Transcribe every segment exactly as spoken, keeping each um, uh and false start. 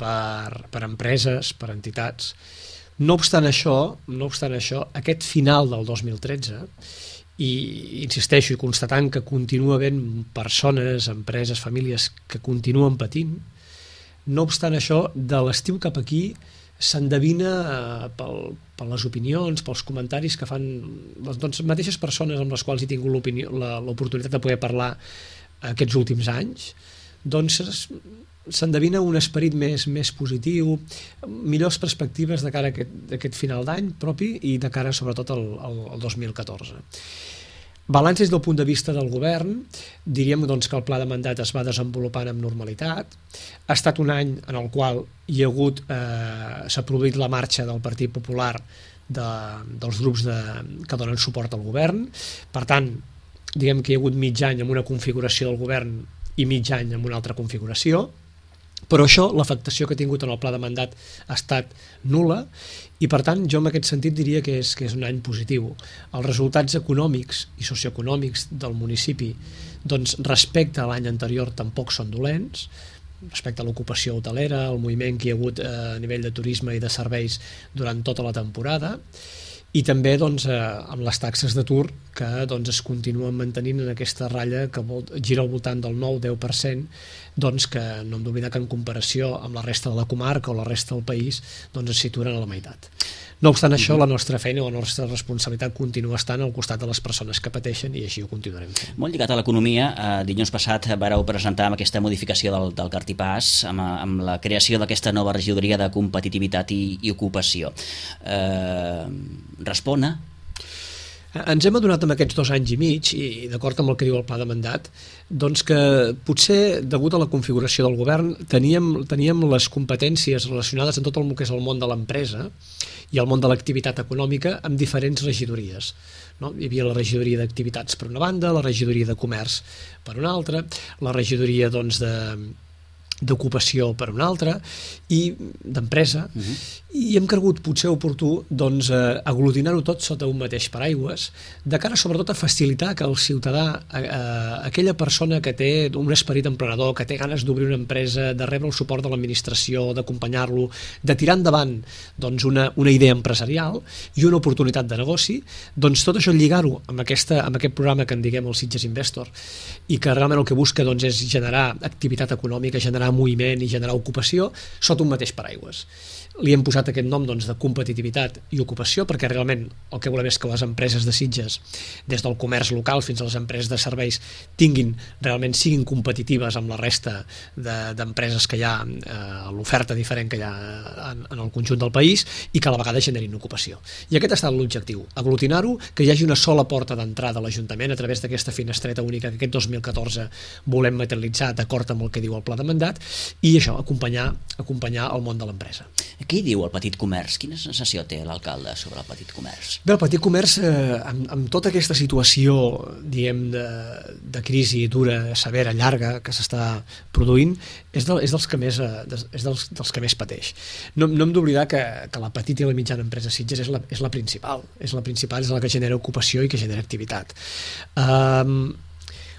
per, per empreses, per entitats. No obstant això, no obstant això, aquest final del dos mil tretze, i insisteixo i constatant que continua havent persones, empreses, famílies que continuen patint, no obstant això, de l'estiu cap aquí s'endevina eh, pel, per les opinions, pels comentaris que fan les doncs, mateixes persones amb les quals he tingut l'oportunitat de poder parlar aquests últims anys, doncs s'endevina un esperit més, més positiu, millors perspectives de cara a aquest, a aquest final d'any propi i de cara sobretot al, al, al dos mil catorze. Balanç des del punt de vista del govern, diríem doncs, que el pla de mandat es va desenvolupant amb normalitat. Ha estat un any en el qual hi ha hagut, eh, s'ha produït la marxa del Partit Popular de, dels grups de, que donen suport al govern. Per tant, diguem que hi ha hagut mig any amb una configuració del govern i mig any amb una altra configuració, però això, l'afectació que ha tingut en el pla de mandat ha estat nul·la i per tant jo en aquest sentit diria que és, que és un any positiu. Els resultats econòmics i socioeconòmics del municipi doncs, respecte a l'any anterior tampoc són dolents, respecte a l'ocupació hotelera, el moviment que hi ha hagut a nivell de turisme i de serveis durant tota la temporada, i també doncs, eh, amb les taxes d'atur que doncs, es continuen mantenint en aquesta ratlla que vol, gira al voltant del nou a deu per cent, doncs, que no hem d'oblidar que en comparació amb la resta de la comarca o la resta del país doncs, es situen a la meitat. No obstant això, la nostra feina o la nostra responsabilitat continua estant al costat de les persones que pateixen i així ho continuarem fent. Molt lligat a l'economia, eh, dilluns passat vareu presentar amb aquesta modificació del, del Cartipàs, amb, amb la creació d'aquesta nova regidoria de competitivitat i, i ocupació. Eh, respona? Ens hem adonat amb aquests dos anys i mig, i d'acord amb el que diu el pla de mandat, doncs que potser, degut a la configuració del govern, teníem, teníem les competències relacionades amb tot el que és el món de l'empresa i el món de l'activitat econòmica amb diferents regidories. No? Hi havia la regidoria d'activitats per una banda, la regidoria de comerç per una altra, la regidoria doncs, de d'ocupació per una altra i d'empresa, uh-huh. i hem cregut potser oportú doncs, eh, aglutinar-ho tot sota un mateix paraigües, de cara sobretot a facilitar que el ciutadà, eh, aquella persona que té un esperit emprenedor, que té ganes d'obrir una empresa, de rebre el suport de l'administració, d'acompanyar-lo, de tirar endavant doncs, una, una idea empresarial i una oportunitat de negoci, doncs tot això lligar-ho amb, aquesta, amb aquest programa que en diguem el Sitges Investor i que realment el que busca doncs, és generar activitat econòmica, generar moviment i generar ocupació sota un mateix paraigües. Li hem posat aquest nom doncs, de competitivitat i ocupació perquè realment el que volem és que les empreses de Sitges, des del comerç local fins a les empreses de serveis, tinguin, realment siguin competitives amb la resta d'empreses que hi ha, eh, l'oferta diferent que hi ha en, en el conjunt del país i que a la vegada generin ocupació. I aquest ha estat l'objectiu, aglutinar-ho, que hi hagi una sola porta d'entrada a l'Ajuntament a través d'aquesta finestreta única que aquest dos mil catorze volem materialitzar d'acord amb el que diu el pla de mandat i això, acompanyar, acompanyar el món de l'empresa. Què hi diu el petit comerç? Quina sensació té l'alcalde sobre el petit comerç? Bé, el petit comerç, eh, amb, amb tota aquesta situació, diguem, de, de crisi dura, severa, llarga, que s'està produint, és, de, és, dels que més, eh, és dels, dels que més pateix. No, no hem d'oblidar que, que la petita i la mitjana empresa Sitges és la, és la principal, és la principal, és la que genera ocupació i que genera activitat. Um,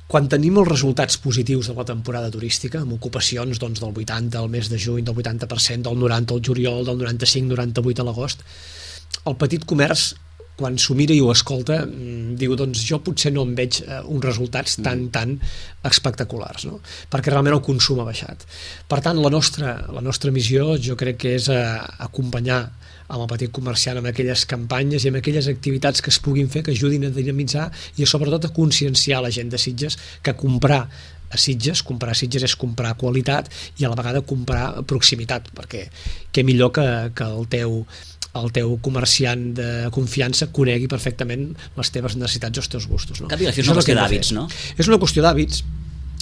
Quan tenim els resultats positius de la temporada turística, amb ocupacions doncs, del vuitanta al mes de juny, del vuitanta per cent, del noranta al juliol, del noranta-cinc noranta-vuit a l'agost, el petit comerç, quan s'ho mira i ho escolta, diu, doncs jo potser no em veig eh, uns resultats tan, tan espectaculars, no? Perquè realment el consum ha baixat. Per tant, la nostra, la nostra missió jo crec que és eh, acompanyar amb el petit comerciant, amb aquelles campanyes i amb aquelles activitats que es puguin fer, que ajudin a dinamitzar i sobretot a conscienciar la gent de Sitges que comprar a Sitges, comprar a Sitges és comprar qualitat i a la vegada comprar proximitat, perquè què millor que, que el teu el teu comerciant de confiança conegui perfectament les teves necessitats i els teus gustos. No? Cap i la fi és una qüestió d'hàbits, no? És una qüestió d'hàbits.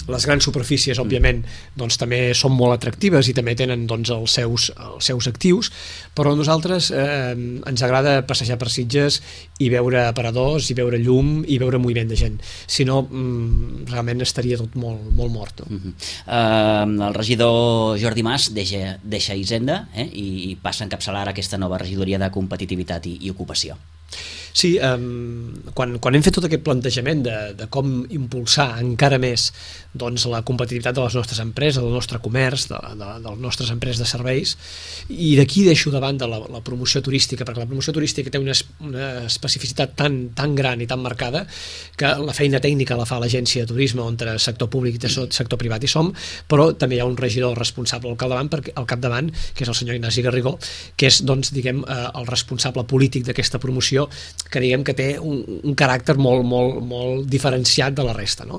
Les grans superfícies, òbviament, doncs, també són molt atractives i també tenen doncs, els, seus, els seus actius, però a nosaltres eh, ens agrada passejar per Sitges i veure aparadors, i veure llum, i veure moviment de gent. Si no, mm, realment estaria tot molt, molt mort. No? Uh-huh. uh, el regidor Jordi Mas deixa, deixa Hisenda eh, i passa a encapçalar aquesta nova regidoria de competitivitat i, i ocupació. Sí, um, quan, quan hem fet tot aquest plantejament de, de com impulsar encara més doncs, la competitivitat de les nostres empreses, del nostre comerç, de, de, de les nostres empreses de serveis, i d'aquí deixo davant de la, la promoció turística, perquè la promoció turística té una, una especificitat tan, tan gran i tan marcada que la feina tècnica la fa l'agència de turisme, on el sector públic i el sector privat hi som, però també hi ha un regidor responsable al capdavant, perquè, al capdavant que és el senyor Ignasi Garrigó, que és doncs, diguem, el responsable polític d'aquesta promoció, que diguem que té un, un caràcter molt, molt, molt diferenciat de la resta, no?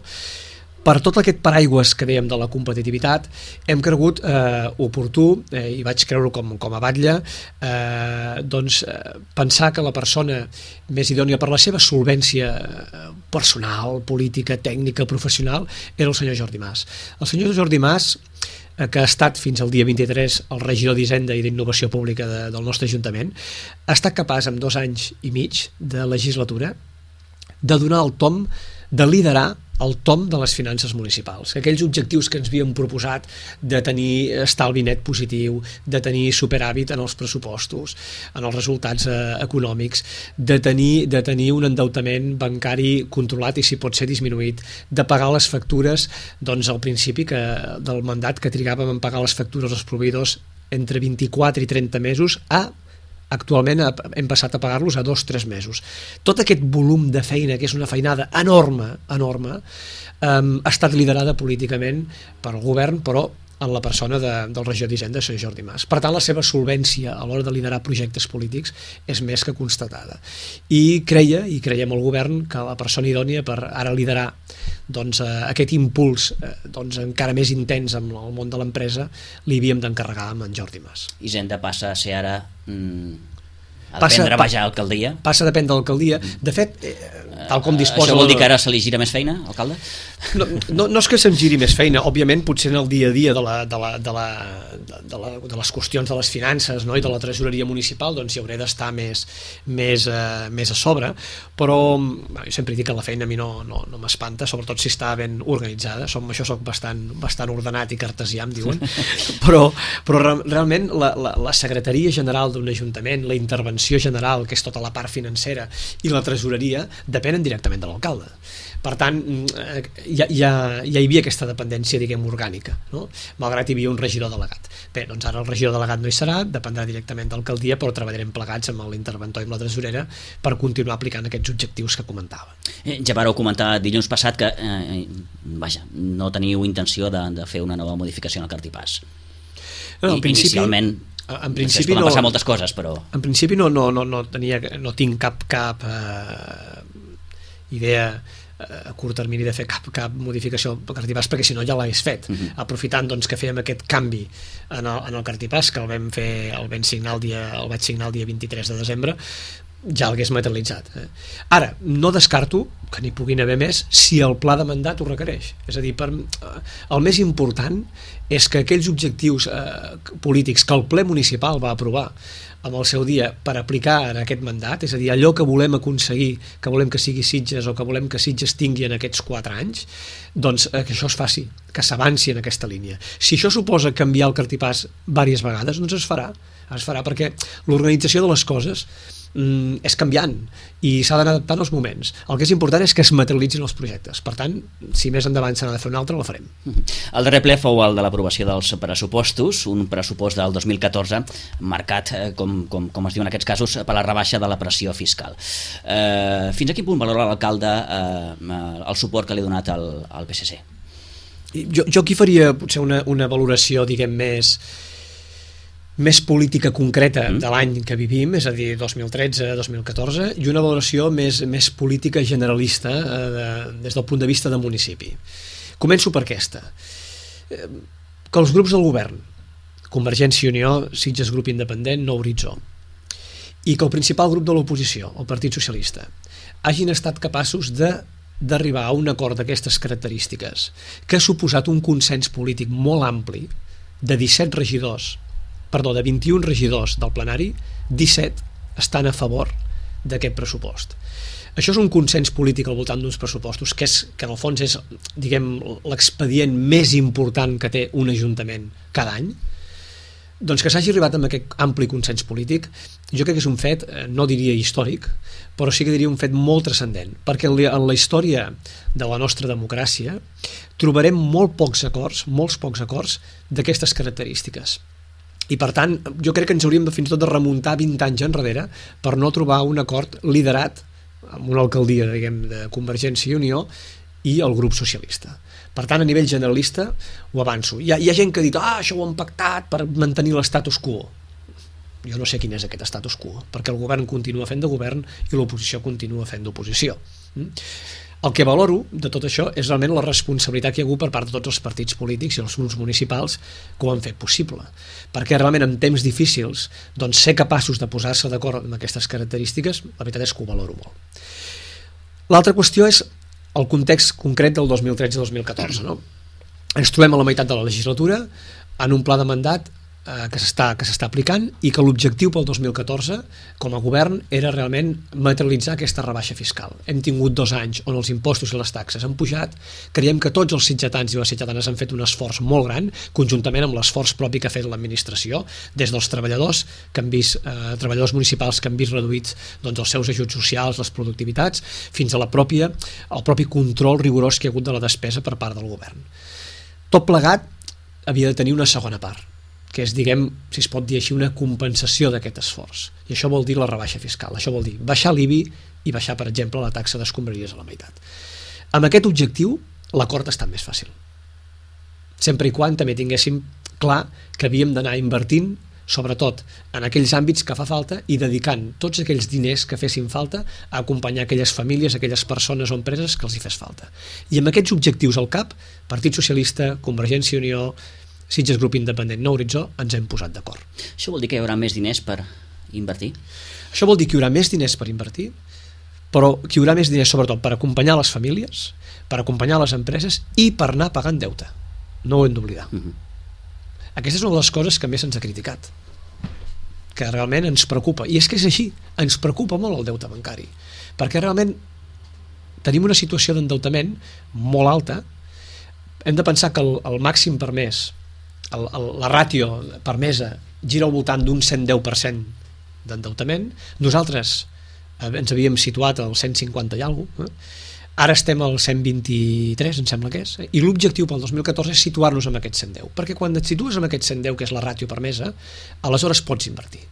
Per tot aquest paraigües que dèiem de la competitivitat, hem cregut eh, oportú, eh, i vaig creure com, com a batlle, eh, doncs, eh, pensar que la persona més idònia per la seva solvència personal, política, tècnica, professional, era el senyor Jordi Mas. El senyor Jordi Mas, que ha estat fins al dia vint-i-tres el regidor d'Hisenda i d'Innovació Pública de, del nostre Ajuntament, ha estat capaç en dos anys i mig de legislatura de donar el tom, de liderar el tom de les finances municipals. Aquells objectius que ens havíem proposat de tenir estalvi net positiu, de tenir superàvit en els pressupostos, en els resultats eh, econòmics, de tenir, de tenir un endeutament bancari controlat i si pot ser disminuït, de pagar les factures, doncs al principi que, del mandat que trigàvem en pagar les factures als proveïdors entre vint-i-quatre i trenta mesos a actualment hem passat a pagar-los a dos o tres mesos. Tot aquest volum de feina, que és una feinada enorme, enorme, um, ha estat liderada políticament pel govern, però en la persona de, del regidor d'Hisenda, senyor Jordi Mas. Per tant, la seva solvència a l'hora de liderar projectes polítics és més que constatada. I creia, i creiem el govern, que la persona idònia per ara liderar doncs, eh, aquest impuls eh, doncs, encara més intens en el món de l'empresa li havíem d'encarregar amb en Jordi Mas. Hisenda passa a ser ara mm, a passa, dependre pa, baix a l'alcaldia? Passa a dependre de l'alcaldia. De fet, eh, tal com disposa... Això vol dir que ara se li gira més feina, alcalde? No, no, no és que se'm giri més feina, òbviament potser en el dia a dia de, la, de, la, de, la, de, la, de les qüestions de les finances, no? I de la tresoreria municipal, doncs hi hauré d'estar més, més, eh, més a sobre, però bueno, jo sempre dic que la feina a mi no, no, no m'espanta, sobretot si està ben organitzada. Som, això soc bastant, bastant ordenat i cartesià, em diuen, però, però realment la, la, la secretaria general d'un ajuntament, la intervenció general, que és tota la part financera, i la tresoreria depenen directament de l'alcalde. Per tant, ja, ja, ja hi havia aquesta dependència, diguem, orgànica, no? Malgrat hi havia un regidor delegat. Bé, doncs ara el regidor delegat no hi serà, dependrà directament de l'alcaldia, però treballarem plegats amb l'interventor i amb la tresorera per continuar aplicant aquests objectius que comentava. Eh, ja vareu comentar dilluns passat que eh, vaja, no teniu intenció de, de fer una nova modificació en el cartipàs. No, en principi, inicialment en principi no, no, passar moltes coses, però... En principi no, no, no, no, tenia, no tinc cap, cap eh, idea a curt termini de fer cap, cap modificació al cartipàs, perquè si no ja l'hagués fet. Uh-huh. Aprofitant doncs, que fèiem aquest canvi en el, en el cartipàs, que el vam fer, el vam signar el dia, el vaig signar el dia vint-i-tres de desembre, ja l'hagués materialitzat. Eh? Ara, no descarto que n'hi puguin haver més si el pla de mandat ho requereix. És a dir, per, el més important és que aquells objectius eh, polítics que el ple municipal va aprovar amb el seu dia per aplicar en aquest mandat, és a dir, allò que volem aconseguir, que volem que sigui Sitges o que volem que Sitges tingui en aquests quatre anys, doncs eh, que això es faci, que s'avanci en aquesta línia. Si això suposa canviar el cartipàs diverses vegades, doncs es farà, es farà perquè l'organització de les coses mm, és canviant i s'ha d'anar adaptant als moments. El que és important és que es materialitzin els projectes. Per tant, si més endavant s'ha de fer un altre, la farem. El darrer ple fou el de l'aprovació dels pressupostos, un pressupost del dos mil catorze marcat, eh, com, com, com es diu en aquests casos, per la rebaixa de la pressió fiscal. Eh, fins a quin punt valora l'alcalde eh, el suport que li ha donat al, al P S C? Jo, jo aquí faria potser una, una valoració, diguem, més més política concreta mm. de l'any que vivim, és a dir, dos mil tretze dos mil catorze, i una valoració més, més política generalista eh, de, des del punt de vista del municipi. Començo per aquesta. Eh, que els grups del govern, Convergència i Unió, Sitges Grup Independent, Nou Horitzó, i que el principal grup de l'oposició, el Partit Socialista, hagin estat capaços de d'arribar a un acord d'aquestes característiques que ha suposat un consens polític molt ampli de disset regidors, perdó, de vint-i-un regidors del plenari, disset estan a favor d'aquest pressupost. Això és un consens polític al voltant d'uns pressupostos que, és, que en el fons és, diguem, l'expedient més important que té un ajuntament cada any. Doncs que s'hagi arribat amb aquest ampli consens polític, jo crec que és un fet, no diria històric, però sí que diria un fet molt transcendent, perquè en la història de la nostra democràcia trobarem molt pocs acords, molts pocs acords d'aquestes característiques. I per tant, jo crec que ens hauríem de fins i tot de remuntar vint anys enrere per no trobar un acord liderat amb una alcaldia, diguem, de Convergència i Unió i el grup socialista. Per tant, a nivell generalista, ho avanço. Hi ha, hi ha gent que ha dit, ah, això ho han pactat per mantenir l'estatus quo. Jo no sé quin és aquest status quo, perquè el govern continua fent de govern i l'oposició continua fent d'oposició. El que valoro de tot això és realment la responsabilitat que hi ha hagut per part de tots els partits polítics i els grups municipals que ho han fet possible. Perquè realment en temps difícils, doncs, ser capaços de posar-se d'acord amb aquestes característiques, la veritat és que ho valoro molt. L'altra qüestió és el context concret del dos mil tretze dos mil catorze. No? Ens trobem a la meitat de la legislatura en un pla de mandat eh, que s'està que s'està aplicant i que l'objectiu pel dos mil catorze com a govern era realment materialitzar aquesta rebaixa fiscal. Hem tingut dos anys on els impostos i les taxes han pujat, creiem que tots els sitgetans i les sitgetanes han fet un esforç molt gran, conjuntament amb l'esforç propi que ha fet l'administració, des dels treballadors que han vist, eh, treballadors municipals que han vist reduïts doncs, els seus ajuts socials, les productivitats, fins a la pròpia, el propi control rigorós que hi ha hagut de la despesa per part del govern. Tot plegat havia de tenir una segona part, que és, diguem, si es pot dir així, una compensació d'aquest esforç. I això vol dir la rebaixa fiscal. Això vol dir baixar l'I B I i baixar, per exemple, la taxa d'escombraries a la meitat. Amb aquest objectiu, l'acord ha estat més fàcil. Sempre i quan també tinguéssim clar que havíem d'anar invertint, sobretot en aquells àmbits que fa falta i dedicant tots aquells diners que fessin falta a acompanyar aquelles famílies, aquelles persones o empreses que els hi fes falta. I amb aquests objectius al cap, Partit Socialista, Convergència i Unió, Sitges Grup Independent, Nou Horitzó, ens hem posat d'acord. Això vol dir que hi haurà més diners per invertir? Això vol dir que hi haurà més diners per invertir, però que hi haurà més diners sobretot per acompanyar les famílies, per acompanyar les empreses i per anar pagant deute. No ho hem d'oblidar. Uh-huh. Aquesta és una de les coses que més ens ha criticat, que realment ens preocupa. I és que és així, ens preocupa molt el deute bancari, perquè realment tenim una situació d'endeutament molt alta. Hem de pensar que el, el màxim permès, el, el, la ràtio permesa gira al voltant d'un cent deu per cent d'endeutament. Nosaltres eh, ens havíem situat al cent cinquanta i alguna cosa, eh? Ara estem al cent vint-i-tres, em sembla que és, eh? I l'objectiu pel dos mil catorze és situar-nos en aquest cent deu, perquè quan et situes en aquest cent deu, que és la ràtio permesa, aleshores pots invertir.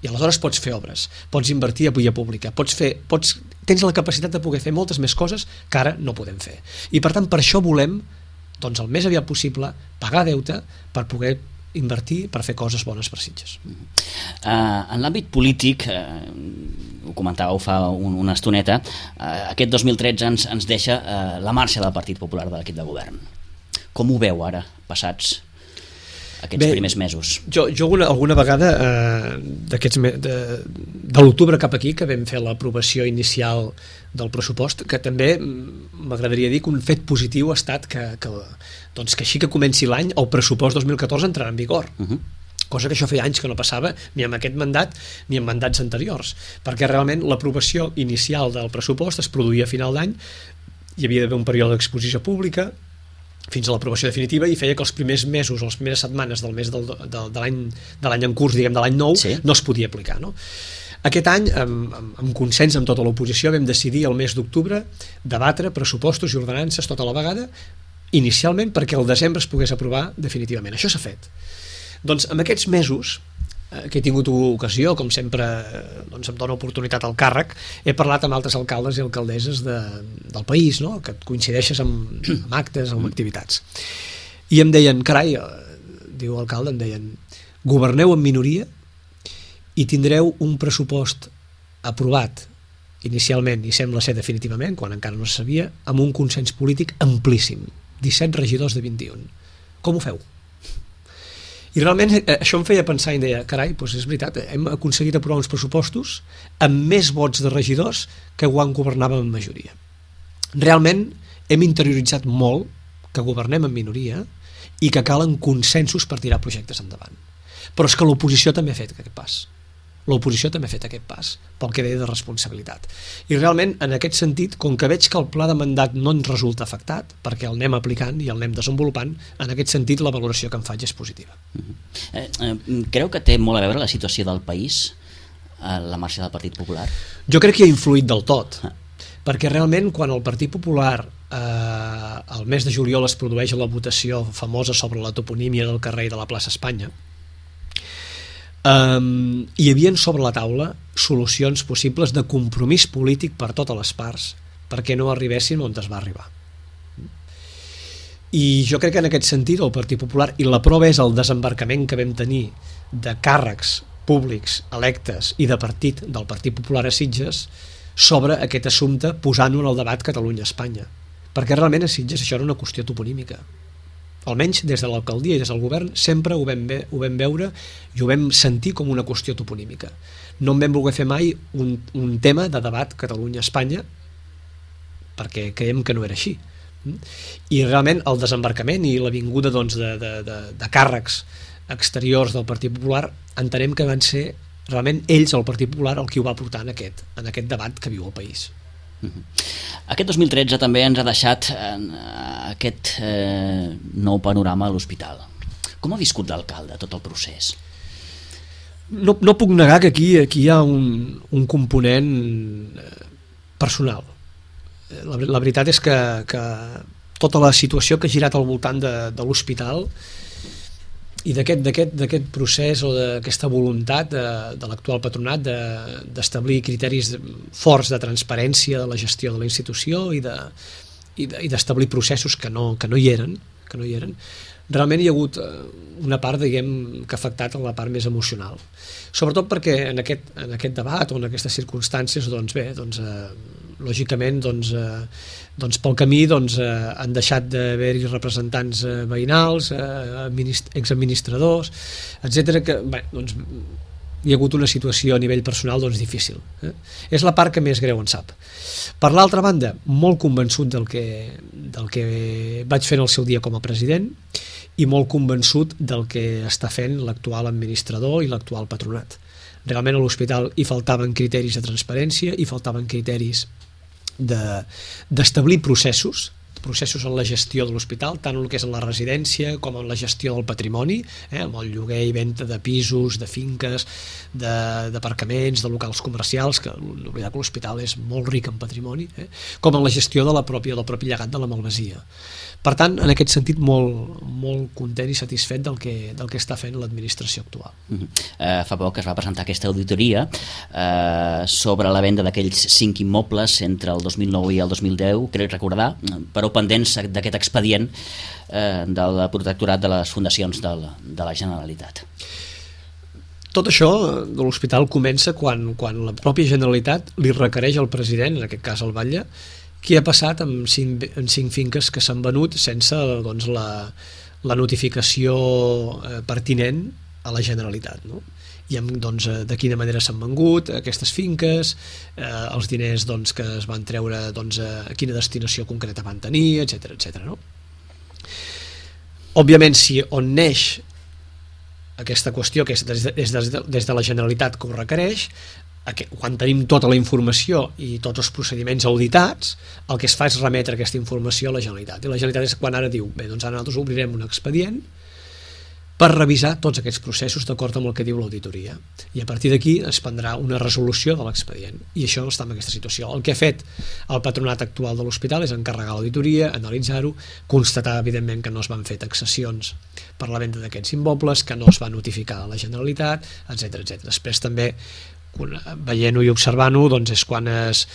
I aleshores pots fer obres, pots invertir a via pública, pots fer, pots, tens la capacitat de poder fer moltes més coses que ara no podem fer. I per tant, per això volem, doncs el més aviat possible, pagar deute per poder invertir, per fer coses bones per Sitges. Uh, en l'àmbit polític, uh, ho comentàveu fa un, una estoneta, uh, aquest dos mil tretze ens, ens deixa uh, la marxa del Partit Popular de l'equip de govern. Com ho veu ara, passats aquests Bé, primers mesos? Jo, jo alguna, alguna vegada eh, d'aquests me, de, de l'octubre cap aquí, que vam fer l'aprovació inicial del pressupost, que també m'agradaria dir que un fet positiu ha estat que, que, doncs que així que comenci l'any el pressupost dos mil catorze entrarà en vigor. Uh-huh. Cosa que això feia anys que no passava ni amb aquest mandat ni en mandats anteriors, perquè realment l'aprovació inicial del pressupost es produïa a final d'any, hi havia d'haver un període d'exposició pública fins a l'aprovació definitiva i feia que els primers mesos o les primeres setmanes del mes del, de, de l'any de l'any en curs, diguem, de l'any nou, sí, no es podia aplicar, no? Aquest any, amb, amb, amb consens amb tota l'oposició, vam decidir el mes d'octubre debatre pressupostos i ordenances tota la vegada, inicialment perquè el desembre es pogués aprovar definitivament. Això s'ha fet. Doncs en aquests mesos eh, que he tingut ocasió, com sempre eh, doncs em dona oportunitat al càrrec, he parlat amb altres alcaldes i alcaldesses de, del país, no? Que et coincideixes amb, amb actes, amb activitats. I em deien, carai, eh, diu l'alcalde, em deien, governeu en minoria i tindreu un pressupost aprovat inicialment, i sembla ser definitivament, quan encara no se sabia, amb un consens polític amplíssim, disset regidors de vint-i-un. Com ho feu? I realment això em feia pensar i em deia, carai, doncs és veritat, hem aconseguit aprovar uns pressupostos amb més vots de regidors que quan governàvem en majoria. Realment hem interioritzat molt que governem en minoria i que calen consensos per tirar projectes endavant. Però és que l'oposició també ha fet aquest pas. l'oposició també ha fet aquest pas, pel que deia de responsabilitat. I realment, en aquest sentit, com que veig que el pla de mandat no ens resulta afectat, perquè el anem aplicant i el anem desenvolupant, en aquest sentit la valoració que em faig és positiva. Uh-huh. eh, eh, creu que té molt a veure la situació del país, eh, la marxa del Partit Popular? Jo crec que hi ha influït del tot, ah. perquè realment quan el Partit Popular eh, el mes de juliol es produeix la votació famosa sobre la toponímia del carrer de la plaça Espanya, Um, hi havia sobre la taula solucions possibles de compromís polític per totes les parts perquè no arribessin on es va arribar, i jo crec que en aquest sentit el Partit Popular, i la prova és el desembarcament que vam tenir de càrrecs públics electes i de partit del Partit Popular a Sitges sobre aquest assumpte, posant-ho en el debat Catalunya-Espanya, perquè realment a Sitges això era una qüestió toponímica. Almenys des de l'alcaldia i des del govern sempre ho vam, ve, ho vam veure i ho vam sentir com una qüestió toponímica. No en vam voler fer mai un, un tema de debat Catalunya-Espanya perquè creiem que no era així. I realment el desembarcament i la vinguda doncs, de, de, de, de càrrecs exteriors del Partit Popular entenem que van ser realment ells, el Partit Popular, el qui ho va portar en aquest, en aquest debat que viu el país. Aquest dos mil tretze també ens ha deixat eh, aquest eh, nou panorama a l'hospital. Com ha viscut l'alcalde tot el procés? No, no puc negar que aquí, aquí hi ha un, un component personal. La, la veritat és que, que tota la situació que ha girat al voltant de, de l'hospital i d'aquest procés o d'aquesta voluntat de, de l'actual patronat d'establir de, criteris forts de transparència de la gestió de la institució i d'establir de, processos que no, que no hi eren, que no hi eren, realment hi ha hagut una part, diguem, que ha afectat en la part més emocional. Sobretot perquè en aquest, en aquest debat o en aquestes circumstàncies, doncs bé, doncs, eh, lògicament, doncs, eh, doncs pel camí doncs, eh, han deixat d'haver-hi representants eh, veïnals, eh, exadministradors, etcètera, que bé, doncs, hi ha hagut una situació a nivell personal doncs, difícil. Eh? És la part que més greu en sap. Per l'altra banda, molt convençut del que, del que vaig fer en el seu dia com a president i molt convençut del que està fent l'actual administrador i l'actual patronat. Realment a l'hospital hi faltaven criteris de transparència, hi faltaven criteris d'establir processos, processos en la gestió de l'hospital, tant en el que és en la residència com en la gestió del patrimoni, eh, amb el lloguer i venda de pisos, de finques, d'aparcaments, de, de locals comercials, que l'oblidar que l'hospital és molt ric en patrimoni, eh, com en la gestió de la pròpia, del propi llegat de la malvasia. Per tant, en aquest sentit, molt, molt content i satisfet del que, del que està fent l'administració actual. Uh-huh. eh, fa poc es va presentar aquesta auditoria eh, sobre la venda d'aquells cinc immobles entre el dos mil nou i el dos mil deu, crec recordar, però pendents d'aquest expedient eh, del protectorat de les fundacions de la, de la Generalitat. Tot això de l'hospital comença quan, quan la pròpia Generalitat li requereix al president, en aquest cas al Batlle, què ha passat amb cinc, amb cinc finques que s'han venut sense doncs, la, la notificació eh, pertinent a la Generalitat, no? I amb, doncs, de quina manera s'han vengut aquestes finques, eh, els diners doncs, que es van treure, doncs, a quina destinació concreta van tenir, etcètera, etcètera, no? Òbviament, si on neix aquesta qüestió, que és des de, des de, des de la Generalitat que ho requereix, quan tenim tota la informació i tots els procediments auditats, el que es fa és remetre aquesta informació a la Generalitat. I la Generalitat és quan ara diu, bé, doncs ara nosaltres obrirem un expedient per revisar tots aquests processos d'acord amb el que diu l'auditoria. I a partir d'aquí es prendrà una resolució de l'expedient. I això està en aquesta situació. El que ha fet el patronat actual de l'hospital és encarregar l'auditoria, analitzar-ho, constatar, evidentment, que no es van fer taxacions per la venda d'aquests immobles, que no es va notificar a la Generalitat, etcètera, etcètera. Després també veient-ho i observant-ho doncs és quan es,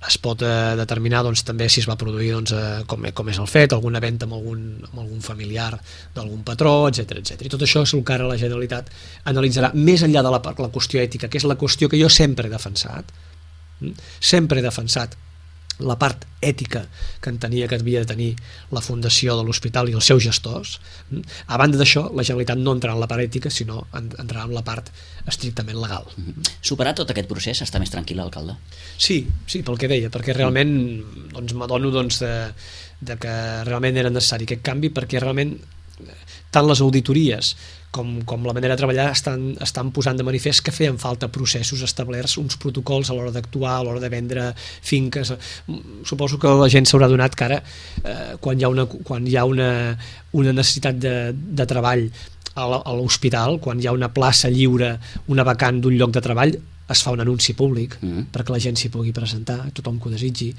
es pot eh, determinar doncs, també si es va produir doncs, eh, com, com és el fet, alguna venda amb algun, amb algun familiar d'algun patró, etcètera, etcètera. I tot això és el que ara la Generalitat analitzarà més enllà de la, la qüestió ètica, que és la qüestió que jo sempre he defensat, sempre he defensat la part ètica que entenia que havia de tenir la fundació de l'hospital i els seus gestors. A banda d'això, la Generalitat no entrarà en la part ètica, sinó entrarà en la part estrictament legal. Superat tot aquest procés, està més tranquil l'alcalde? Sí, sí, pel que deia, perquè realment doncs, m'adono doncs, de, de que realment era necessari aquest canvi, perquè realment tant les auditories com, com la manera de treballar estan, estan posant de manifest que feien falta processos establerts, uns protocols a l'hora d'actuar, a l'hora de vendre finques. Suposo que la gent s'haurà donat que ara eh, quan hi ha una, quan hi ha una, una necessitat de, de treball a l'hospital, quan hi ha una plaça lliure, una vacant d'un lloc de treball, es fa un anunci públic mm. perquè la gent s'hi pugui presentar, tothom que ho desitgi.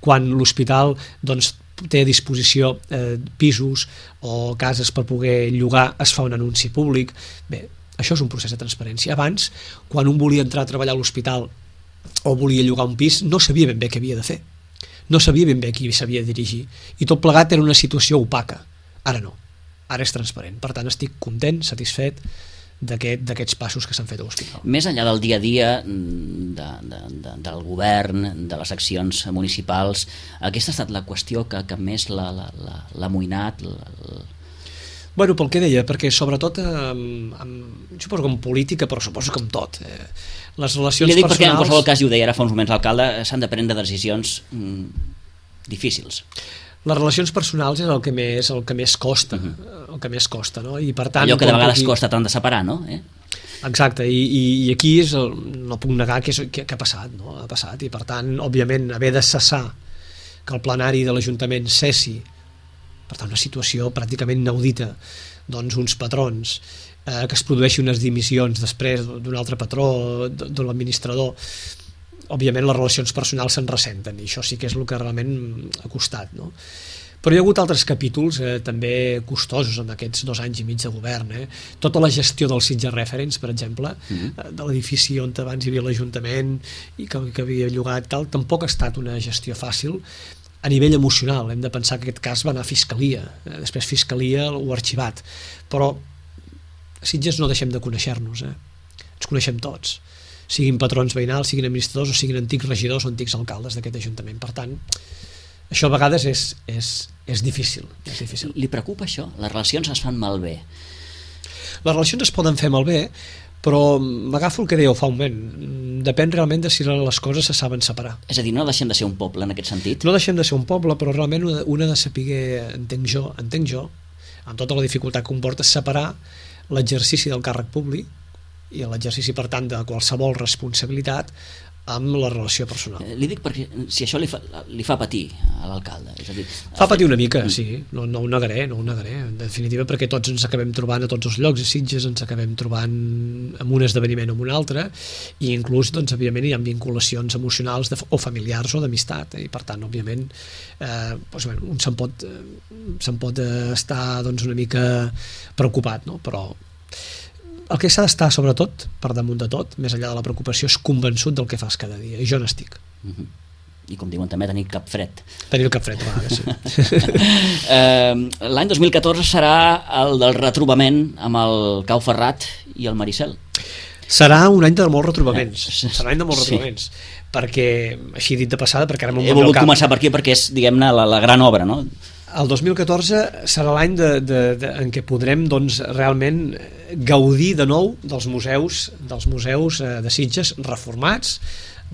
Quan l'hospital doncs, té a disposició eh, pisos o cases per poder llogar, es fa un anunci públic. Bé, això és un procés de transparència. Abans, quan un volia entrar a treballar a l'hospital o volia llogar un pis, no sabia ben bé què havia de fer. No sabia ben bé qui s'havia de dirigir. I tot plegat era una situació opaca. Ara no. Ara és transparent. Per tant, estic content, satisfet d'aquest, d'aquests passos que s'han fet a l'hospital. Més enllà del dia a dia de, de, de, del govern, de les accions municipals, aquesta ha estat la qüestió que, que més l'ha amoïnat? La, la... Bueno, pel que deia, perquè sobretot amb, amb, jo suposo que en política, però suposo que amb tot. Eh, les relacions I li dic personals... perquè en qualsevol cas, i ho deia ara fa uns moments l'alcalde, s'han de prendre decisions mm, difícils. Les relacions personals és el que més, el que més costa, uh-huh. el que més costa, no? I per tant, allò que de vegades aquí... costa tant de separar, no? Eh? Exacte, i, i, i aquí és el, no puc negar que, és, que, que ha passat, no? Ha passat, i per tant, òbviament, haver de cessar que el plenari de l'Ajuntament cessi, per tant, una situació pràcticament inaudita, doncs uns patrons, eh, que es produeixi unes dimissions després d'un altre patró, de l'administrador, òbviament les relacions personals se'n ressenten i això sí que és el que realment ha costat, no? Però hi ha hagut altres capítols eh, també costosos en aquests dos anys i mig de govern, eh? Tota la gestió del Sitges Reference, per exemple, mm-hmm. de l'edifici on abans hi havia l'Ajuntament i que, que havia llogat tal, tampoc ha estat una gestió fàcil a nivell emocional. Hem de pensar que aquest cas va anar a Fiscalia, eh? Després Fiscalia ho ha arxivat, però a Sitges no deixem de conèixer-nos, eh? Ens coneixem tots, siguin patrons veïnals, siguin administradors o siguin antics regidors o antics alcaldes d'aquest Ajuntament. Per tant, això a vegades és, és, és difícil, és difícil. Li preocupa això? Les relacions es fan malbé? Les relacions es poden fer malbé, però m'agafo el que dèieu fa un moment. Depèn realment de si les coses se saben separar. És a dir, no deixem de ser un poble en aquest sentit? No deixem de ser un poble, però realment una de saber, entenc jo, entenc jo, amb tota la dificultat que comporta, separar l'exercici del càrrec públic i l'exercici, per tant, de qualsevol responsabilitat amb la relació personal. Eh, li dic perquè si això li fa, li fa patir a l'alcalde. És a dir, fa patir una mica, sí, no, no ho negaré, no ho negaré, en definitiva, perquè tots ens acabem trobant a tots els llocs, a Sitges ens acabem trobant en un esdeveniment o en un altre, i inclús, doncs, òbviament, hi ha vinculacions emocionals de, o familiars o d'amistat, eh, i per tant, òbviament, eh, doncs, bueno, un se'n pot, se'n pot estar doncs, una mica preocupat, no? Però el que s'ha d'estar, sobretot, per damunt de tot, més enllà de la preocupació, és convençut del que fas cada dia, i jo n'estic. Uh-huh. I com diuen també, tenir cap fred. Tenir el cap fred, a vegades, sí. eh, L'any dos mil catorze serà el del retrobament amb el Cau Ferrat i el Maricel. Serà un any de molts retrobaments. Eh, serà un any de molts retrobaments. Sí. Perquè, així dit de passada, perquè ara m'ho he volgut començar per aquí perquè és, diguem-ne, la, la gran obra, no? El dos mil catorze serà l'any de, de, de, en què podrem doncs, realment gaudir de nou dels museus, dels museus eh, de Sitges reformats,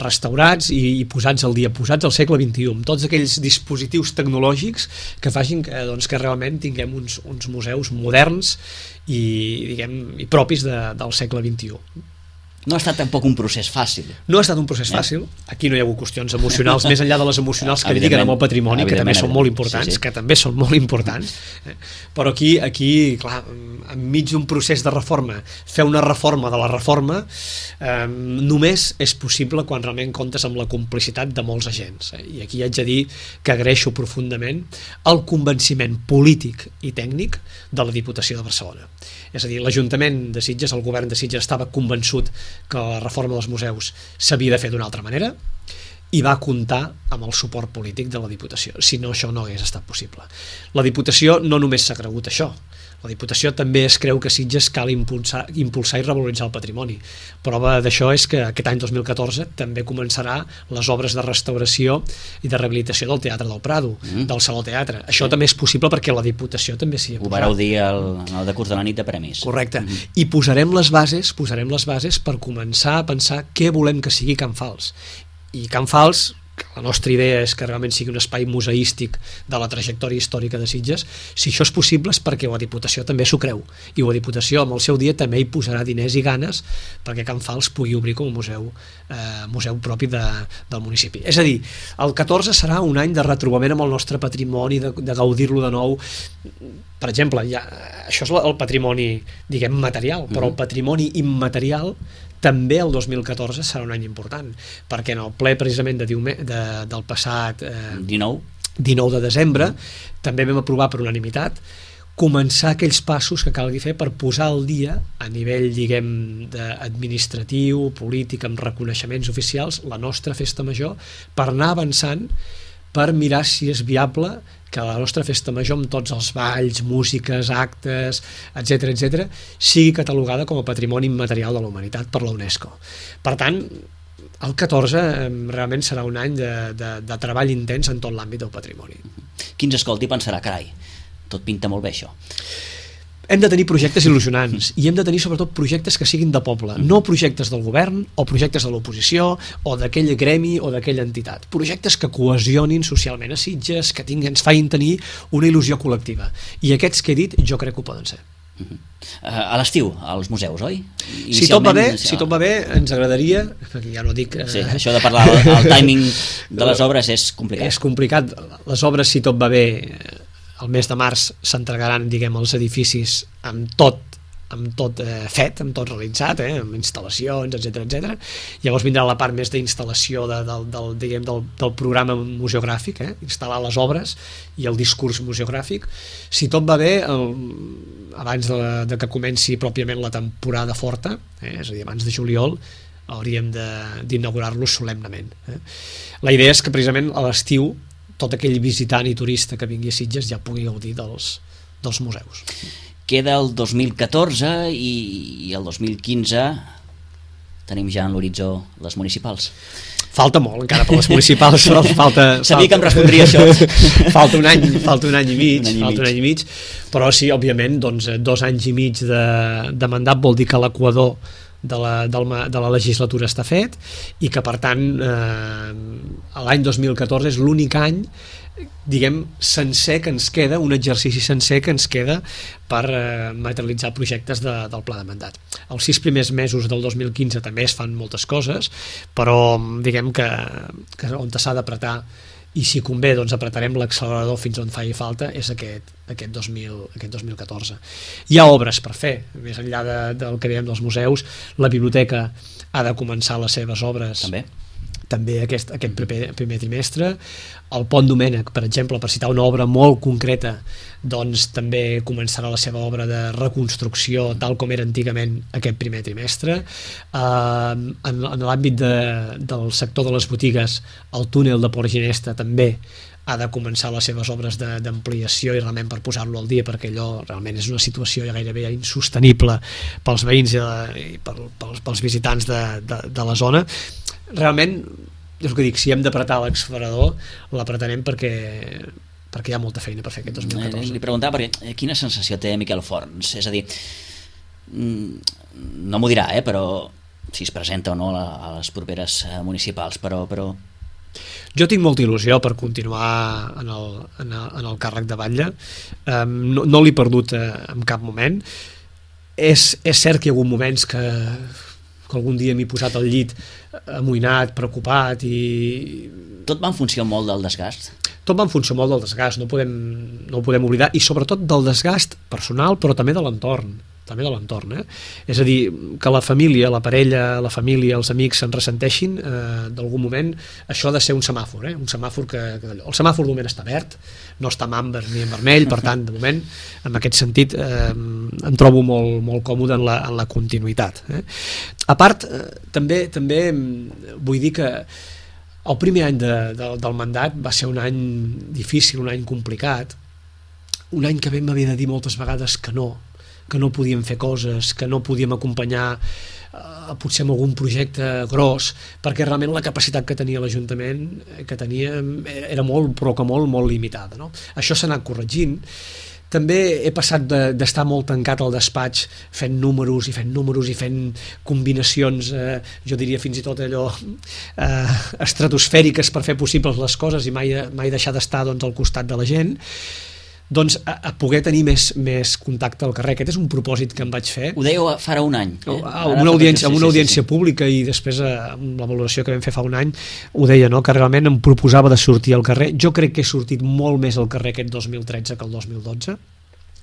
restaurats i, i posats al dia, posats al segle vint-i-u, amb tots aquells dispositius tecnològics que facin que, doncs, que realment tinguem uns, uns museus moderns i, diguem, i propis de, del segle vint-i-u. No ha estat tampoc un procés fàcil. No ha estat un procés fàcil. Aquí no hi ha hagut qüestions emocionals, més enllà de les emocionals que dediquen amb el patrimoni, que també són molt importants, sí, sí. que també són molt importants. Però aquí, aquí clar, enmig d'un procés de reforma, fer una reforma de la reforma eh, només és possible quan realment comptes amb la complicitat de molts agents. Eh? I aquí haig de dir que agraeixo profundament el convenciment polític i tècnic de la Diputació de Barcelona. És a dir, l'Ajuntament de Sitges, el govern de Sitges, estava convençut que la reforma dels museus s'havia de fer d'una altra manera i va comptar amb el suport polític de la Diputació. Si no, això no hagués estat possible. La Diputació no només s'ha cregut això, la Diputació també es creu que Sitges cal impulsar, impulsar i revaloritzar el patrimoni. Prova d'això és que aquest any dos mil catorze també començarà les obres de restauració i de rehabilitació del Teatre del Prado, mm. del Saló Teatre. Això sí. també és possible perquè la Diputació també s'hi ha posat. Ho vareu dir al, al decurs de la nit de premis. Correcte. Mm. I posarem les bases, posarem les bases per començar a pensar què volem que sigui Can Fals. I Can Fals, la nostra idea és que realment sigui un espai museístic de la trajectòria històrica de Sitges. Si això és possible és perquè la Diputació també s'ho creu, i la Diputació amb el seu dia també hi posarà diners i ganes perquè Can Fals pugui obrir com a museu, eh, museu propi de, del municipi. És a dir, el catorze serà un any de retrobament amb el nostre patrimoni, de, de gaudir-lo de nou. Per exemple, ja, això és el patrimoni, diguem, material, però el patrimoni immaterial també el dos mil catorze serà un any important, perquè en el ple precisament de, de, del passat eh, dinou de desembre també vam aprovar per unanimitat començar aquells passos que calgui fer per posar al dia a nivell, diguem, administratiu, polític, amb reconeixements oficials, la nostra festa major, per anar avançant, per mirar si és viable que la nostra festa major, amb tots els balls, músiques, actes, etcètera, etcètera, sigui catalogada com a patrimoni immaterial de la humanitat per la UNESCO. Per tant, el catorze realment serà un any de, de, de treball intens en tot l'àmbit del patrimoni. Qui ens escolti pensarà, carai, tot pinta molt bé això. Hem de tenir projectes il·lusionants i hem de tenir sobretot projectes que siguin de poble, no projectes del govern o projectes de l'oposició o d'aquell gremi o d'aquella entitat, projectes que cohesionin socialment a Sitges, que tinguin, ens facin tenir una il·lusió col·lectiva, i aquests que he dit jo crec que ho poden ser. Uh -huh. uh, a l'estiu, als museus, oi? Si tot va bé, si tot va bé ens agradaria, perquè ja no dic eh... sí, això de parlar, el, el timing de les obres és complicat. És complicat, les obres, si tot va bé, el mes de març s'entregaran, diguem, els edificis amb tot, amb tot eh, fet, amb tot realitzat, eh, amb instal·lacions, etcètera, etcètera. Llavors vindrà la part més d'instal·lació de, del, del, diguem, del, del programa museogràfic, eh, instal·lar les obres i el discurs museogràfic. Si tot va bé, el, abans de, de que comenci pròpiament la temporada forta, eh, és a dir, abans de juliol, hauríem d'inaugurar-los solemnament. Eh. La idea és que precisament a l'estiu tot aquell visitant i turista que vingui a Sitges ja pugui gaudir dels, dels museus. Queda el dos mil catorze i, i el dos mil quinze tenim ja en l'horitzó les municipals. Falta molt encara per les municipals. falta, Sabia falta, que em respondria això. falta, un any, falta un any i mig, un any i falta mig. un any i mig, però sí, òbviament, doncs, dos anys i mig de, de mandat vol dir que l'equador de la, de la legislatura està fet i que per tant eh, l'any dos mil catorze és l'únic any, diguem, sencer que ens queda, un exercici sencer que ens queda per eh, materialitzar projectes de, del pla de mandat. Els sis primers mesos del dos mil quinze també es fan moltes coses, però diguem que, que on s'ha d'apretar, i si convé doncs apretarem l'accelerador fins on faci falta, és aquest, aquest, dos mil, aquest dos mil catorze. Hi ha obres per fer, més enllà de, del que dèiem dels museus. La biblioteca ha de començar les seves obres també, també aquest, aquest primer, primer trimestre. El Pont Domènec, per exemple, per citar una obra molt concreta, doncs també començarà la seva obra de reconstrucció tal com era antigament aquest primer trimestre. Uh, en en l'àmbit de, del sector de les botigues, el túnel de Port Ginesta també ha de començar les seves obres d'ampliació i realment per posar-lo al dia, perquè allò realment és una situació ja gairebé insostenible pels veïns i, i per, pels, pels visitants de, de, de la zona. Realment, és el que dic, si hem d'apretar l'accelerador, l'apretarem perquè, perquè hi ha molta feina per fer aquest dos mil catorze. Li preguntava perquè quina sensació té Miquel Forns, és a dir, no m'ho dirà, eh, però si es presenta o no a les properes municipals, però... però... Jo tinc molta il·lusió per continuar en el, en el, en el càrrec de batlle, um, no, no l'he perdut eh, en cap moment. És, és cert que hi ha hagut moments que, que algun dia m'he posat al llit amoïnat, preocupat i... Tot va en funció molt del desgast? Tot va en funció molt del desgast, no, podem, no ho podem oblidar, i sobretot del desgast personal, però també de l'entorn. també de l'entorn, eh? És a dir, que la família, la parella, la família, els amics se'n ressenteixin eh, d'algun moment, això ha de ser un semàfor, eh? Un semàfor que, que el semàfor de moment està verd, no està en amber ni en vermell, per tant, de moment, en aquest sentit, eh, em trobo molt, molt còmode en la, en la continuïtat. Eh? A part, eh, també, també vull dir que el primer any de, de, del mandat va ser un any difícil, un any complicat, un any que vam haver de dir moltes vegades que no, que no podíem fer coses, que no podíem acompanyar eh, potser amb algun projecte gros, perquè realment la capacitat que tenia l'Ajuntament que tenia era molt, però que molt, molt limitada, no? Això s'ha anat corregint, també he passat d'estar molt tancat al despatx fent números i fent números i fent combinacions, eh, jo diria fins i tot allò eh, estratosfèriques per fer possibles les coses i mai, mai deixar d'estar doncs, al costat de la gent, doncs a, a poder tenir més, més contacte al carrer. Aquest és un propòsit que em vaig fer. Ho dèieu farà un any. Eh? Amb una audiència, amb una audiència sí, sí, sí. pública i després amb la valoració que vam fer fa un any ho deia, no? Que realment em proposava de sortir al carrer. Jo crec que he sortit molt més al carrer aquest dos mil tretze que el dos mil dotze.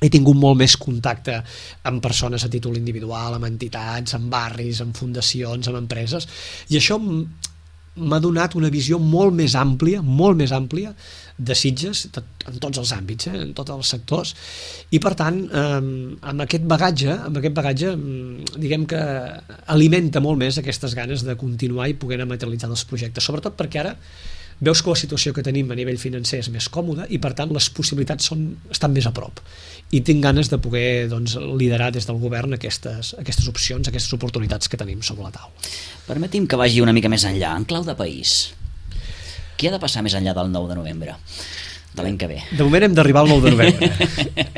He tingut molt més contacte amb persones a títol individual, amb entitats, amb barris, amb fundacions, amb empreses, i això m'ha donat una visió molt més àmplia, molt més àmplia de Sitges, en tots els àmbits, eh, en tots els sectors, i per tant, eh, amb aquest bagatge, amb aquest bagatge, diguem que alimenta molt més aquestes ganes de continuar i poder materialitzar els projectes, sobretot perquè ara veus que la situació que tenim a nivell financer és més còmoda i per tant les possibilitats són, estan més a prop i tinc ganes de poder doncs, liderar des del govern aquestes, aquestes opcions, aquestes oportunitats que tenim sobre la taula. Permeti'm que vagi una mica més enllà, en clau de país. Què ha de passar més enllà del nou de novembre de l'any que ve? De moment hem d'arribar al nou de novembre.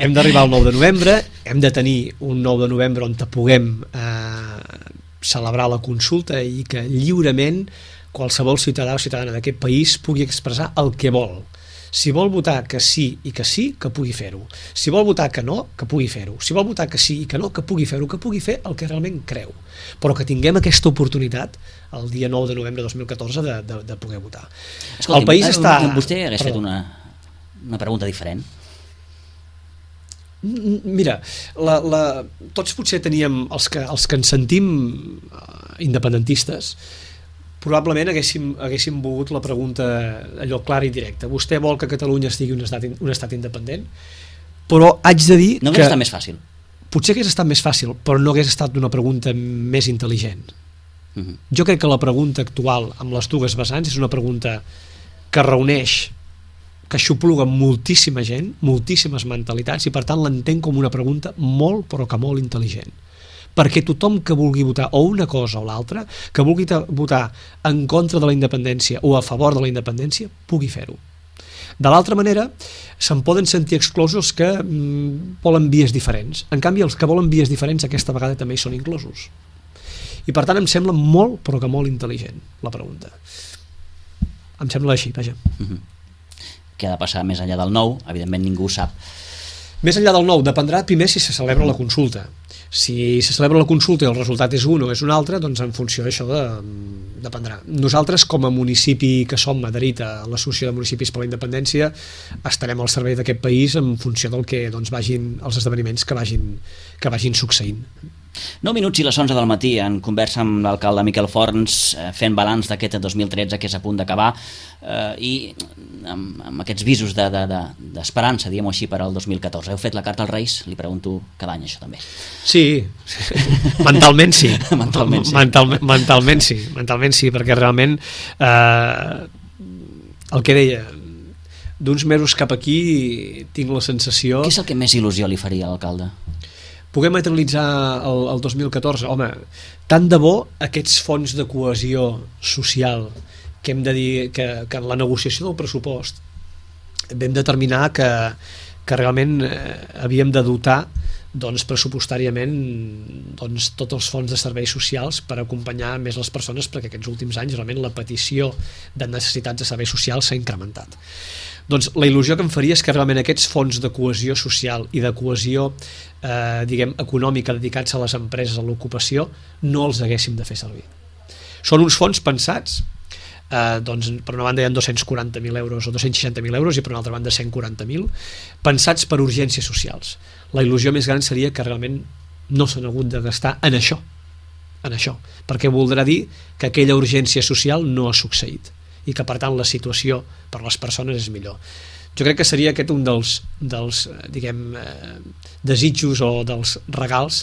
hem d'arribar al nou de novembre, hem de tenir un nou de novembre on puguem eh, celebrar la consulta i que lliurement qualsevol ciutadà o ciutadana d'aquest país pugui expressar el que vol. Si vol votar que sí i que sí, que pugui fer-ho. Si vol votar que no, que pugui fer-ho. Si vol votar que sí i que no, que pugui fer-ho, que pugui fer el que realment creu. Però que tinguem aquesta oportunitat el dia nou de novembre de dos mil catorze de, de, de poder votar. Escolti, el país està... Vostè hagués fet una, una pregunta diferent? Mira, la, la, tots potser teníem, els que, els que ens sentim independentistes, probablement haguéssim, haguéssim volgut la pregunta allò clara i directa. Vostè vol que Catalunya estigui un estat, un estat independent? Però haig de dir no que... No hauria estat més fàcil. Potser hagués estat més fàcil, però no hagués estat una pregunta més intel·ligent. Uh-huh. Jo crec que la pregunta actual, amb les dues vessants, és una pregunta que reuneix, que xupluga moltíssima gent, moltíssimes mentalitats, i per tant l'entenc com una pregunta molt, però que molt intel·ligent. Perquè tothom que vulgui votar o una cosa o l'altra, que vulgui votar en contra de la independència o a favor de la independència, pugui fer-ho. De l'altra manera, se'n poden sentir exclosos que mm, volen vies diferents. En canvi, els que volen vies diferents aquesta vegada també hi són inclosos. I per tant em sembla molt, però que molt intel·ligent la pregunta. Em sembla així, vaja. Mm-hmm. Què ha de passar més enllà del nou? Evidentment ningú ho sap. Més enllà del nou, dependrà primer si se celebra la consulta. Si se celebra la consulta i el resultat és un o és un altre, doncs en funció d'això de, dependrà. Nosaltres, com a municipi que som adherit a l'Associació de Municipis per la Independència, estarem al servei d'aquest país en funció del que doncs, vagin els esdeveniments que vagin, que vagin succeint. nou minuts i les onze del matí en conversa amb l'alcalde Miquel Forns, eh, fent balanç d'aquest dos mil tretze que és a punt d'acabar eh, i amb, amb aquests visos de, de, de, d'esperança, diguem-ho així, per al dos mil catorze. Heu fet la carta als Reis? Li pregunto cada any això també. Sí, mentalment sí. mentalment sí. Mental, mentalment sí, mentalment sí, perquè realment eh, el que deia, d'uns mesos cap aquí tinc la sensació... Què és el que més il·lusió li faria a l'alcalde? Poder materialitzar el, el dos mil catorze, home, tant de bo aquests fons de cohesió social que hem de dir que, que en la negociació del pressupost vam determinar que, que realment eh, havíem de dotar doncs, pressupostàriament doncs, tots els fons de serveis socials per acompanyar més les persones, perquè aquests últims anys realment la petició de necessitats de serveis socials s'ha incrementat. Doncs la il·lusió que em faria és que realment aquests fons de cohesió social i de cohesió eh, diguem, econòmica dedicats a les empreses, a l'ocupació, no els haguéssim de fer servir. Són uns fons pensats, eh, doncs, per una banda hi ha dos-cents quaranta mil euros o dos-cents seixanta mil euros i per una altra banda cent quaranta mil, pensats per urgències socials. La il·lusió més gran seria que realment no s'han hagut de gastar en això, en això, perquè voldrà dir que aquella urgència social no ha succeït i que per tant la situació per les persones és millor. Jo crec que seria aquest un dels, dels diguem, eh, desitjos o dels regals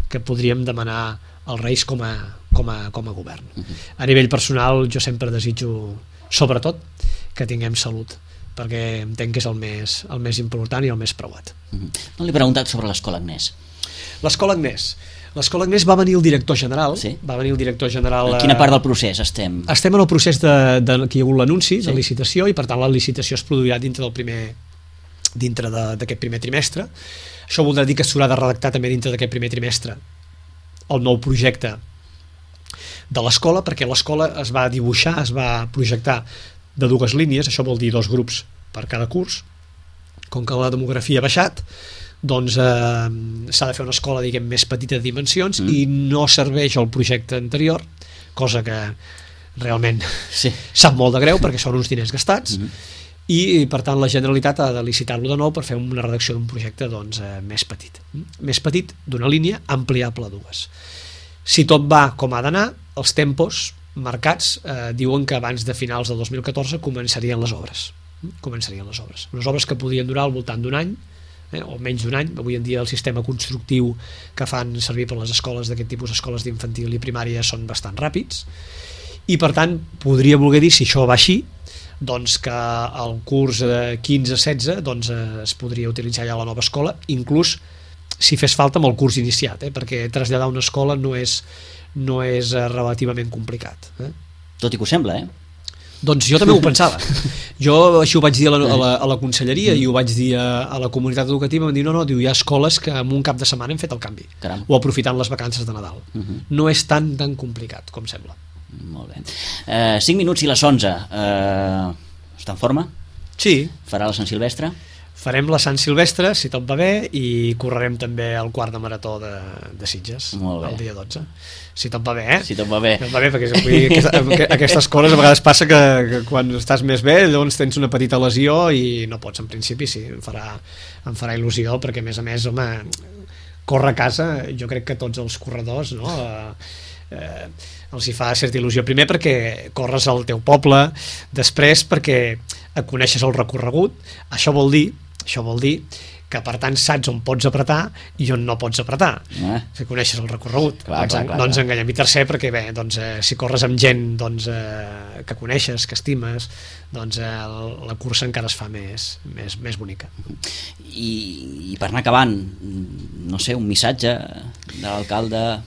que podríem demanar als Reis com a, com a, com a govern. Uh-huh. A nivell personal jo sempre desitjo sobretot que tinguem salut, perquè entenc que és el més, el més important i el més preuat. Uh-huh. No li he preguntat sobre l'Escola Agnès. L'Escola Agnès. L'Escola Agnès va venir el director general. Sí? Va venir el director general... En quina part del procés estem? Estem en el procés de, de que hi ha hagut l'anunci, sí, de licitació, i per tant la licitació es produirà dintre del primer, dintre d'aquest primer trimestre. Això voldrà dir que s'haurà de redactar també dintre d'aquest primer trimestre el nou projecte de l'escola, perquè l'escola es va dibuixar, es va projectar de dues línies, això vol dir dos grups per cada curs. Com que la demografia ha baixat, doncs eh, s'ha de fer una escola, diguem, més petita de dimensions, mm. i no serveix el projecte anterior, cosa que realment sí. sap molt de greu perquè són uns diners gastats, mm. i per tant la Generalitat ha de licitar-lo de nou per fer una redacció d'un projecte doncs, eh, més petit. Més petit, d'una línia, ampliable a dues. Si tot va com ha d'anar, els tempos marcats eh, diuen que abans de finals del dos mil catorze començarien les obres. Començarien les obres. Unes obres que podien durar al voltant d'un any, eh, o menys d'un any. Avui en dia el sistema constructiu que fan servir per les escoles d'aquest tipus, escoles d'infantil i primària, són bastant ràpids, i per tant podria voler dir, si això va així, doncs que el curs quinze setze doncs, eh, es podria utilitzar ja la nova escola, inclús si fes falta amb el curs iniciat, eh, perquè traslladar una escola no és, no és eh, relativament complicat. Eh? Tot i que ho sembla, eh? Doncs jo també ho pensava. Jo així ho vaig dir a la, a la, a la conselleria i ho vaig dir a, a la comunitat educativa, em diu, no, no, diu, hi ha escoles que en un cap de setmana hem fet el canvi. Caram. O aprofitant les vacances de Nadal. Uh -huh. No és tan tan complicat com sembla. Molt bé. Eh, cinc minuts i les onze. Eh, està en forma? Sí. Farà la Sant Silvestre? Farem la Sant Silvestre, si tot va bé, i correrem també el quart de marató de, de Sitges, el dia dotze. Si tot va bé, eh? Si tot va bé. Si tot va bé, perquè vull dir, aquesta, aquestes coses a vegades passa que, que quan estàs més bé, llavors tens una petita lesió i no pots, en principi, sí, em farà, em farà il·lusió, perquè a més a més, home, córrer a casa, jo crec que tots els corredors, no?, eh, eh, els hi fa certa il·lusió. Primer perquè corres al teu poble, després perquè coneixes el recorregut, això vol dir això vol dir que per tant saps on pots apretar i on no pots apretar, eh? Si coneixes el recorregut. Clar, doncs, clar, clar, no ens clar. enganyem. I tercer perquè bé, doncs, eh, si corres amb gent doncs, eh, que coneixes, que estimes, doncs eh, la cursa encara es fa més, més, més bonica. I, i per anar acabant, no sé, un missatge de l'alcalde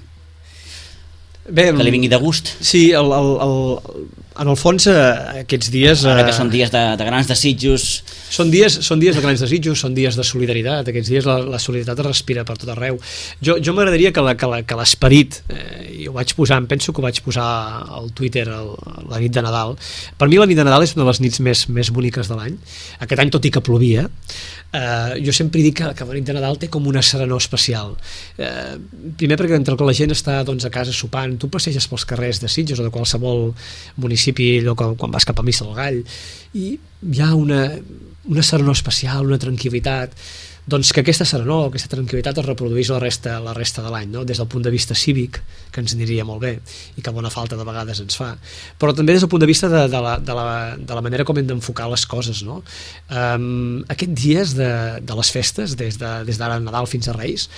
Bé, que li vingui de gust. Sí, el, el, el, en el fons eh, aquests dies... Ara que són dies de, de grans desitjos... Són dies, són dies de grans desitjos, són dies de solidaritat, aquests dies la, la solidaritat es respira per tot arreu. Jo, jo m'agradaria que l'esperit, eh, i ho vaig posar, em penso que ho vaig posar al Twitter el, la nit de Nadal. Per mi la nit de Nadal és una de les nits més, més boniques de l'any. Aquest any, tot i que plovia, eh, jo sempre dic que, que la nit de Nadal té com una serenor especial. Eh, primer perquè entre que la gent està doncs, a casa sopant, tu passeges pels carrers de Sitges o de qualsevol municipi, allò quan, quan vas cap a Missa del Gall, i hi ha una, una serenor especial, una tranquil·litat, doncs que aquesta serenor, aquesta tranquil·litat es reproduís la resta, la resta de l'any, no? Des del punt de vista cívic, que ens aniria molt bé i que bona falta de vegades ens fa, però també des del punt de vista de, de, la, de, la, de la manera com hem d'enfocar les coses, no? Um, aquests dies de, de les festes, des d'ara de, des Nadal fins a Reis,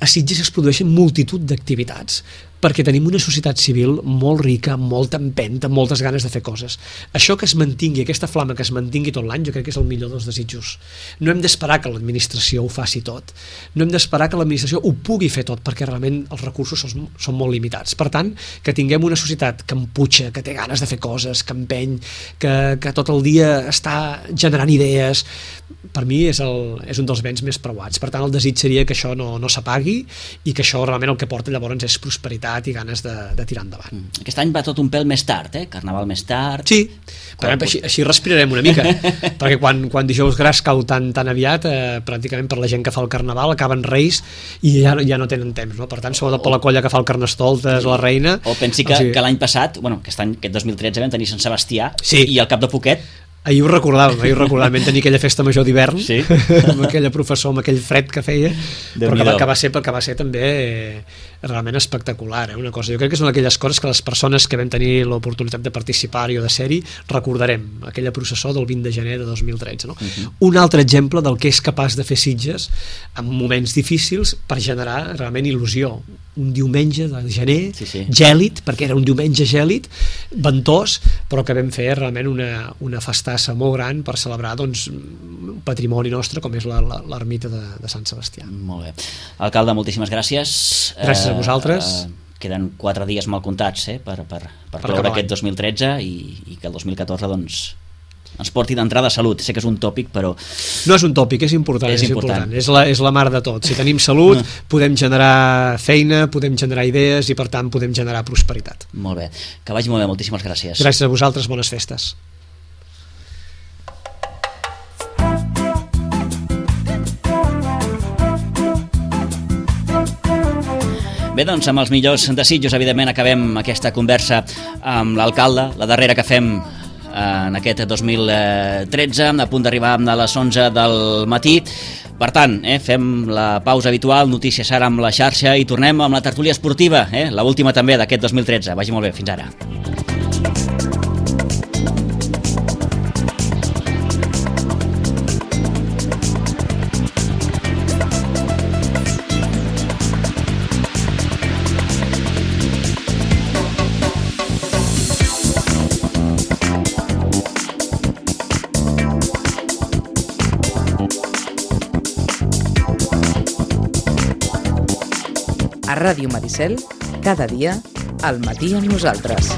a Sitges es produeixen multitud d'activitats perquè tenim una societat civil molt rica, molt empenta, amb moltes ganes de fer coses. Això que es mantingui, aquesta flama que es mantingui tot l'any, jo crec que és el millor dels desitjos. No hem d'esperar que l'administració ho faci tot, no hem d'esperar que l'administració ho pugui fer tot, perquè realment els recursos són, són molt limitats. Per tant, que tinguem una societat que empuja, que té ganes de fer coses, que empeny, que, que tot el dia està generant idees, per mi és, el, és un dels béns més preuats. Per tant, el desig seria que això no, no s'apagui i que això realment el que porta llavors és prosperitat i ganes de, de tirar endavant. Aquest any va tot un pèl més tard, eh? Carnaval més tard. Sí, però així, així respirarem una mica, perquè quan, quan dijous gras cau tan, tan aviat, eh, pràcticament per la gent que fa el Carnaval acaben Reis i ja, ja no tenen temps, no? Per tant, sobretot per la colla que fa el Carnestoltes, la Reina... O pensi que, o sigui... que l'any passat, bueno, aquest any, aquest dos mil tretze vam tenir Sant Sebastià, sí, i al cap de poquet ahir ho recordàvem, ahir ho recordàvem, vam tenir aquella festa major d'hivern, sí, amb aquella professor, amb aquell fred que feia, però que va, que va ser perquè va ser també eh, realment espectacular, eh, una cosa. Jo crec que són aquelles coses que les persones que vam tenir l'oportunitat de participar-hi o de ser-hi recordarem, aquella processó del vint de gener de dos mil tretze, no? Uh-huh. Un altre exemple del que és capaç de fer Sitges en moments difícils per generar realment il·lusió. Un diumenge de gener, sí, sí, gèlid, perquè era un diumenge gèlid, ventós, però que vam fer realment una, una festassa molt gran per celebrar doncs, un patrimoni nostre com és l'ermita de, de Sant Sebastià. Molt bé. Alcalde, moltíssimes gràcies. Gràcies a vosaltres. Eh, eh, queden quatre dies mal comptats eh, per, per, per, per cloure aquest dos mil tretze i, i que el dos mil catorze doncs, ens porti d'entrada a salut. Sé que és un tòpic, però... No és un tòpic, és important. És És, important. important. És, la, és la mar de tot. Si tenim salut, no. podem generar feina, podem generar idees i, per tant, podem generar prosperitat. Molt bé. Que vagi molt bé. Moltíssimes gràcies. Gràcies a vosaltres. Bones festes. Bé, doncs, amb els millors desitjos, evidentment, acabem aquesta conversa amb l'alcalde, la darrera que fem en aquest dos mil tretze, a punt d'arribar a les onze del matí. Per tant, eh, fem la pausa habitual, notícies ara amb la xarxa i tornem amb la tertúlia esportiva, eh, l'última també d'aquest dos mil tretze. Vagi molt bé, fins ara. A Ràdio Maricel, cada dia, al matí amb nosaltres.